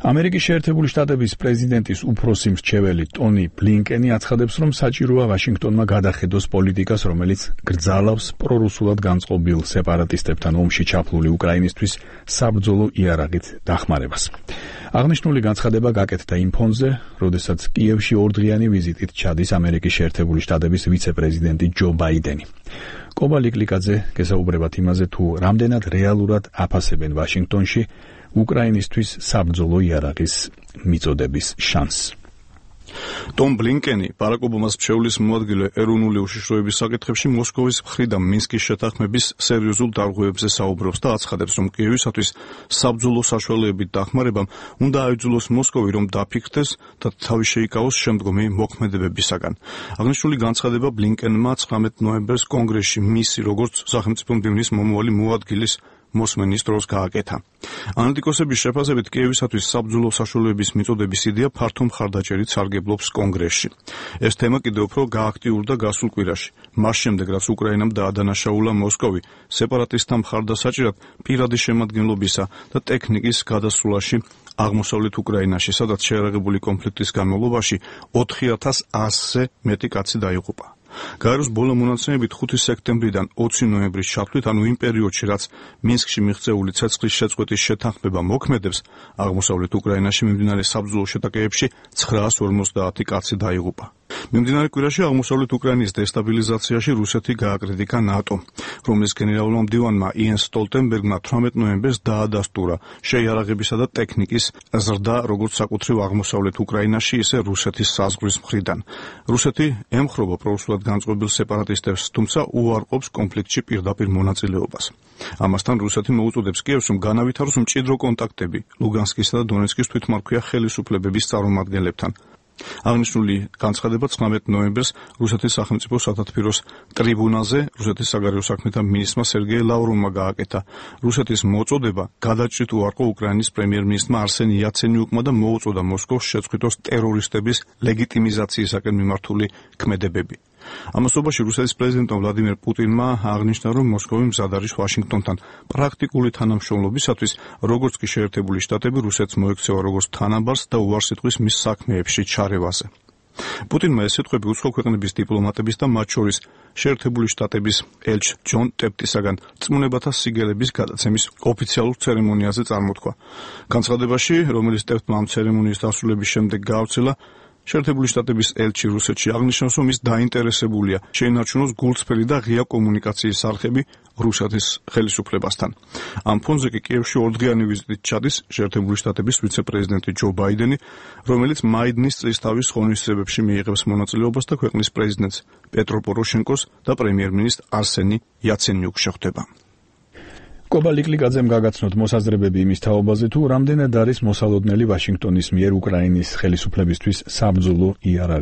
ამერიკის შეერთებული შტატების პრეზიდენტის უფროსი მრჩეველი ტონი ბლინკენი აცხადებს, რომ საჭიროა ვაშინგტონმა გადახედოს პოლიტიკას, რომელიც გრძალავს პრორუსულად განწყობილ სეპარატისტებთან ომში ჩაფლული უკრაინისთვის საბრძოლო იარაღით დახმარებას. აღნიშნული განცხადება გაკეთდა იმ ფონზე, როდესაც კიევში ორდღიანი ვიზიტით ჩადის ამერიკის შეერთებული შტატების ვიცე-პრეზიდენტი ჯო ბაიდენი. კობა ლიკლიკაძე გესაუბრებათ იმაზე, თუ რამდენად რეალურად აფასებენ ვაშინგტონში უკრაინისთვის საბრძოლო იარაღის მიწოდების შანსს. ტომ ბლინკენი ბარაკ ობამას მრჩევლის მოადგილე ეროვნული უშიშროების საკითხებში მოსკოვის მხრიდან მინსკის შეთანხმების სერიოზულ დარღვევებზე საუბრობს და აცხადებს, რომ კიევისათვის საბრძოლო საშუალებებით დახმარებამ უნდა აიძულოს მოსკოვი, რომ დაფიქრდეს და თავი შეიკავოს შემდგომი მოქმედებებისაგან. აღნიშნული განცხადება ბლინკენმა 19 ნოემბერს კონგრესში მისი როგორც სახელმწიფო მდივნის მომავალი მოადგილის მოსმენის დროს გააკეთა. ანალიტიკოსების შეფასებით კიევისათვის საბრძოლო საშუალებების მიწოდების იდეა ფართო მხარდაჭერით სარგებლობს კონგრესში. ეს თემა კიდევ უფრო გააქტიურდა გასულ კვირაში, მას შემდეგ რაც უკრაინამ დაადანაშაულა მოსკოვი სეპარატისტთა მხარდასაჭერად პირადი შემადგენლობისა და ტექნიკის გადასვლაში აღმოსავლეთ უკრაინაში, სადაც შეერაღებული კონფლიქტის განმავლობაში 4100-ზე მეტი კაცი დაიღუპა. გაეროს ბოლო მონაცემებით 5 სექტემბრიდან 20 ნოემბრის ჩათვლით, ანუ იმ პერიოდში, რაც მინსკში მიღწეული ცეცხლის შეწყვეტის შეთანხმება მოქმედებს, აღმოსავლეთ უკრაინაში მიმდინარე საბრძოლო შეტაკებებში 950 კაცი დაიღუპა. მიმდინარე კვირაში აღმოსავლეთ უკრაინის დესტაბილიზაციაში რუსეთი გააკრიტიკა ნატომ, რომლის გენერალურმა მდივანმა იენს სტოლტენბერგმა 18 ნოემბერს დაადასტურა შეიარაღებისა და ტექნიკის ზრდა როგორც საკუთრივ აღმოსავლეთ უკრაინაში, ისე რუსეთის საზღვრის მხრიდან. რუსეთი ემხრობა პრორუსულად განწყობილ სეპარატისტებს, თუმცა უარყოფს კონფლიქტში პირდაპირ მონაწილეობას. ამასთან რუსეთი მოუწოდებს კიევს, რომ განავითაროს მჭიდრო კონტაქტები ლუგანსკისა და დონეცკის თვითმმართველ ხელისუფლებების წარმომადგენლებთან. აღნიშნული განცხადება 19 ნოემბერს რუსეთის სახელმწიფო სათათბიროს ტრიბუნაზე რუსეთის საგარეო საქმეთა მინისტრმა სერგეი ლავროვმა გააკეთა. რუსეთის მოწოდება გადაჭრით უარყო უკრაინის პრემიერ-მინისტრმა არსენ იაცენიუკმა და მოუწოდა მოსკოვს შეწყვიტოს ტერორისტების ლეგიტიმიზაციისაკენ მიმართული ქმედებები. ამასობაში რუსეთის პრეზიდენტმა ვლადიმერ პუტინმა აღნიშნა, რომ მოსკოვი მზად არის ვაშინგტონთან პრაქტიკული თანამშრომლობისათვის, როგორც კი შეერთებული შტატები რუსეთს მოექცევა როგორც თანაბარს და უარს იტყვის მის საქმეებში ჩარევაზე. პუტინმა ეს სიტყვები უცხო ქვეყნების დიპლომატების და მათ შორის შეერთებული შტატების ელჩ ჯონ ტეპტისაგან წმუნებათა სიგელების გადაცემის ოფიციალურ ცერემონიაზე წარმოთქვა. განცხადებაში, რომელიც ტეპტმა ამ ცერემონიის დასრულების შემდეგ გაავრცელა, შეერთებული შტატების ელჩი რუსეთში აღნიშნავს, რომ ის დაინტერესებულია შეინარჩუნოს გულწრფელი და ღია კომუნიკაციის არხები რუსეთის ხელისუფლებასთან. ამ ფონზე კი კიევში ორდღიანი ვიზიტით ჩადის შეერთებული შტატების ვიცე-პრეზიდენტი ჯო ბაიდენი, რომელიც მაიდნის წლისთავის ღონისძიებებში მიიღებს მონაწილეობას და ქვეყნის პრეზიდენტს პეტრო პოროშენკოს და პრემიერ-მინისტრ არსენი იაცენიუკს შეხვდება. კობა ლიკლიკაძემ გაგაცნოთ მოსაზრებები იმის თაობაზე, თუ რამდენად არის მოსალოდნელი ვაშინგტონის მიერ უკრაინის ხელისუფლებისთვის საბრძოლო იარაღი